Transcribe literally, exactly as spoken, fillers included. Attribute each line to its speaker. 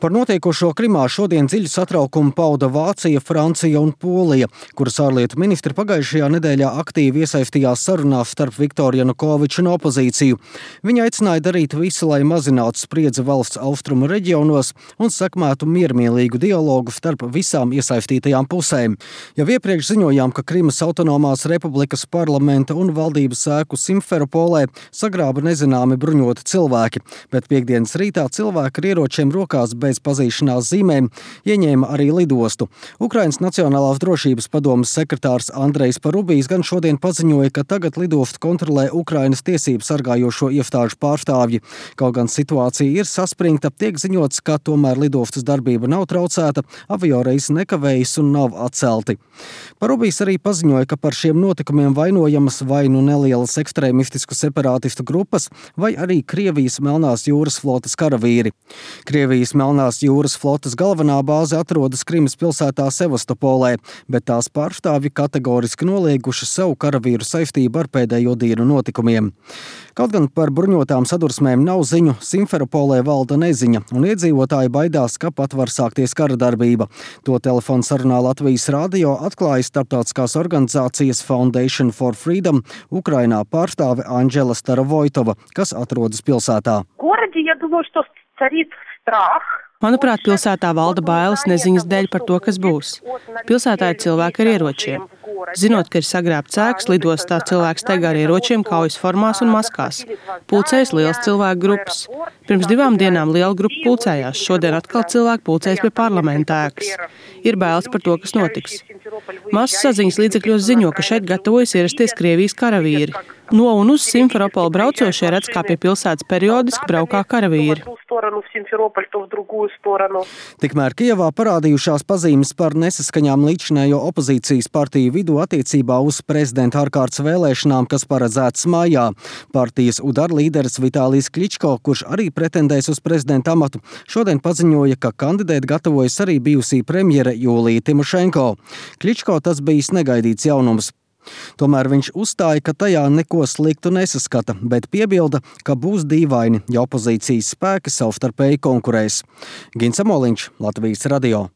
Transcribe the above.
Speaker 1: Par notiekošo Krimā šodien dziļu satraukumu pauda Vācija, Francija un Polija, kuras ārlietu ministri pagājušajā nedēļā aktīvi iesaistījās sarunās starp Viktoru Janukoviču un opozīciju. Viņi aicināja darīt visu, lai mazinātu spriedzi valsts austrumu reģionos un sekmētu miermīlīgu dialogu starp visām iesaistītajām pusēm. Jau iepriekš ziņojām, ka Krimas autonomās republikas parlamenta un valdības ēku Simferopolē sagrāba nezināmi bruņoti cilvēki, bet piekdienas rītā cilvēki ar ieročiem rokās bez pazīšanās zīmēm ieņēma arī lidostu. Ukrainas Nacionālās drošības padomes sekretārs Andrejs Parubijs gan šodien paziņoja, ka tagad lidostu kontrolē Ukrainas tiesību sargājošo iestāžu pārstāvji. Kaut gan situācija ir saspringta, tiek ziņots, ka tomēr lidostas darbība nav traucēta, avioreisi nekavējas un nav atcelti. Parubijs arī paziņoja, ka par šiem notikumiem vainojamas vai nu nelielas ekstrēmistisku separātistu grupas, vai arī Krievijas Melnās jūras flotes karavīri. Krievijas Melnās jūras flotes galvenā bāze atrodas Krimas pilsētā Sevastopolē, bet tās pārstāvji kategoriski nolieguši savu karavīru saistību ar pēdējo dienu notikumiem. Kaut gan par bruņotām sadursmēm nav ziņu, Simferopolē valda neziņa, un iedzīvotāji baidās, ka pat var sākties kara darbība. To telefonu sarunā Latvijas radio atklāja starptautiskās organizācijas Foundation for Freedom Ukrainā pārstāve Anģela Starovojtova, kas atrodas pilsētā.
Speaker 2: Manuprāt, pilsētā valda bailes neziņas dēļ par to, kas būs. Pilsētā ir cilvēki ar ieročiem. Zinot, ka ir sagrābts ēkas, lidostā cilvēks staigā ar ieročiem kaujas formās un maskās. Pulcējas liels cilvēku grupas. Pirms divām dienām liela grupa pulcējās, šodien atkal cilvēki pulcējas pie parlamenta ēkas. Ir bailes par to, kas notiks. Masu saziņas līdzekļos ziņo, ka šeit gatavojas ierasties Krievijas karavīri. No un uz Simferopolu braucošie redz, kā pie pilsētas periodiski braukā karavīri.
Speaker 1: Tikmēr Kijevā parādījušās pazīmes par nesaskaņām līdzinējo opozīcijas partiju vidū attiecībā uz prezidenta ārkārtas vēlēšanām, kas paredzētas mājā. Partijas Udar līderis Vitālijs Kličko, kurš arī pretendēs uz prezidenta amatu, šodien paziņoja, ka kandidēt gatavojas arī bijusī premjere Jūlija Timošenko. Kličko tas bijis negaidīts jaunums. Tomēr viņš uzstāja, ka tajā neko sliktu nesaskata, bet piebilda, ka būs dīvaini, ja opozīcijas spēki savstarpēji konkurēs. Gins Amoliņš, Latvijas radio.